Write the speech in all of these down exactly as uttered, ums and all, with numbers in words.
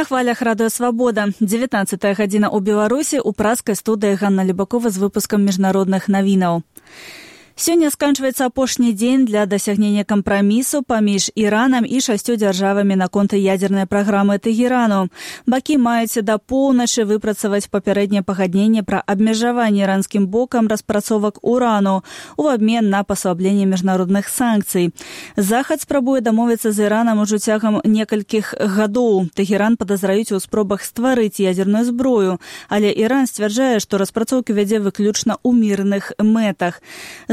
На хвалях радыё «Свабода». дзевятнаццатая гадзіна ў Беларусі, у празкай студыі Ганна Любакова з выпускам міжнародных навінаў. Сёння сканчваецца апошні дзень для дасягнення кампрамісу паміж Іранам і шасцю дзяржавамі наконт ядзернай праграмы Тэгерану. Бакі маюць да поўначы выпрацаваць папярэдняе пагадненне пра абмежаванне іранскім бокам распрацовак урану у абмен на паслабленне міжнародных санкцый. Захад спрабуе дамовіцца з Іранам ужо цягам некалькіх гадоў. Тэгеран падазраюць у спробах стварыць ядзерную зброю, але Іран сцвярджае, што распрацоўкі вядзе выключна ў мірных мэтах.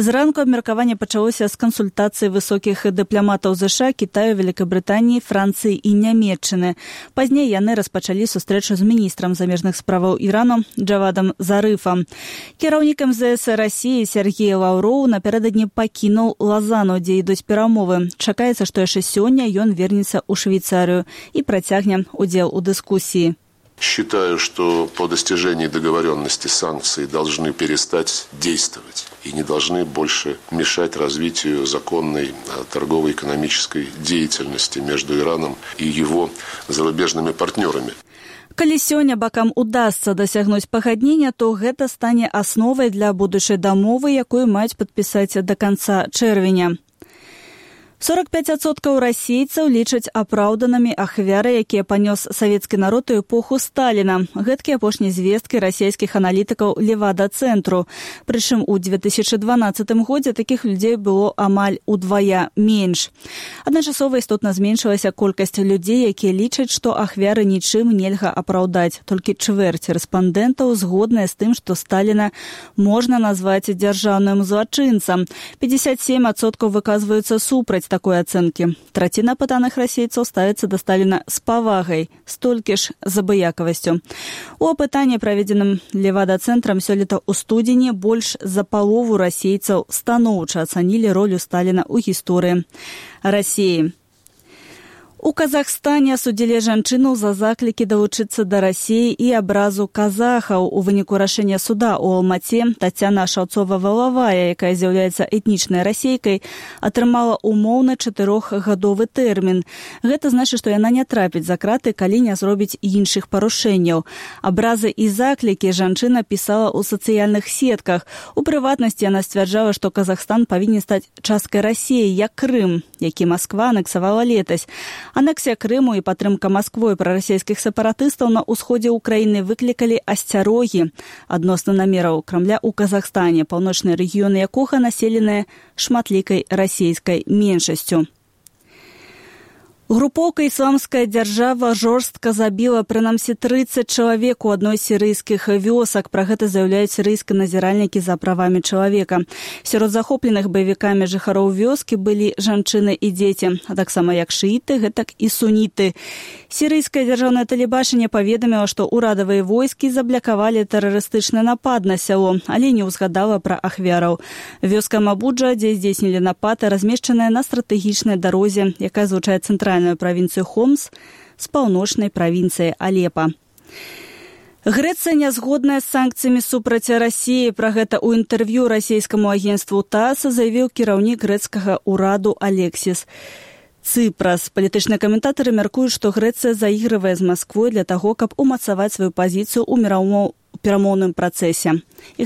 Зранку абмеркаванне пачалося з кансультацыі высокіх дыпламатаў ЗША, Кітаю, Вялікабрытаніі, Францыі і Нямецчыны. Пазней яны распачалі сустрэчу з міністрам замежных справаў Ірану Джавадам Зарыфам. Кіраўнік эм зэ эс Расіі Сергей Лаўроў напярэдадні пакінуў Лазану, дзе ідуць перамовы. Чакаецца, што яшчэ сёння ён вернецца ў Швейцарыю і працягне удзел у дыскусіі. Считаю, что по достижении договоренности санкции должны перестать действовать и не должны больше мешать развитию законной торгово-экономической деятельности между Ираном и его зарубежными партнерами. Калі сёння бакам удасца дасягнуць пагаднення, то гэта стане асновай для будучай дамовы, якую маюць падпісаць да канца чэрвеня. сорок пяць адсоткаў расейцаў лічаць апраўданымі ахвяры, якія панёс савецкі народ у эпоху Сталіна. Гэткія апошнія звесткі расійскіх аналітыкаў Левада-цэнтру. Прычым у две тысячы дванаццатым годзе такіх людзей было амаль удвая менш. Адначасова істотна зменшылася колькасць людзей, якія лічаць, што ахвяры нічым нельга апраўдаць. Толькі чвэрць рэспандэнтаў згодныя з тым, што Сталіна можна назваць дзяржаўным злачынцам. пятьдесят семь адсоткаў выказваюцца супраць такой ацэнкі. Траціна апытаных расейцаў ставіцца да Сталіна з павагай, столькі ж з абыякавасцю. У апытанні, праведзеным Левада-цэнтрам сёлета ў студзені, больш за палову расейцаў станоўча ацанілі ролю Сталіна ў гісторыі Расіі. У Казахстане асудзілі жанчыну за заклікі далучыцца да Расіі і абразу казахаў. У выніку рашэння суда ў Алмаце Тацяна Шаўцова-Валавая, якая з'яўляецца этнічнай расейкай, атрымала умоўны чатырохгадовы тэрмін. Гэта значыць, што яна не трапіць за краты, калі не зробіць іншых парушэнняў. Абразы і заклікі жанчына пісала ў сацыяльных сетках. У прыватнасці яна сцвярджала, што Казахстан павінен стаць часткай Расіі, як Крым, які Масква анексавала летась. Анексія Крыму і падтрымка Масквой прарасійскіх сепаратыстаў на ўсходзе ўкраіны выклікалі асцярогі адносна намераў Крамля ў Казахстане, паўночныя рэгіёны якога населеныя шматлікай расійскай меншасцю. Групоўка «Ісламская дзяржава» жорстка забіла прынамсі трыццаць чалавек у адной з сірыйскіх вёсак. Пра гэта заяўляюць сірыйскія назіральнікі за правамі чалавека. Сярод захопленых баевікамі жыхароў вёскі былі жанчыны і дзеці, а таксама як шыіты, гэтак і суніты. Сірыйскае дзяржаўнае тэлебачанне паведаміла, што ўрадавыя войскі заблякавалі тэрарыстычны напад на сяло, але не ўзгадала пра ахвяраў. Вёска Мабуджа, дзе здзейснілі напад, размешчаная на стратэгічнай дарозе, якая злучае цэнтральную правінцыю Хомс з паўночнай правінцыі Алепа. Грэцыя не згодная з санкцыямі супраць Расіі. Пра гэта ў інтэрв'ю расійскаму агенцтву ТАСС заявіў кіраўнік грэцкага ўраду Алексіс Цыпрас. Палітычныя каментатары мяркуюць, што Грэцыя заігрывае з Масквой для таго, каб умацаваць сваю пазіцыю ў перамоўным працэсе.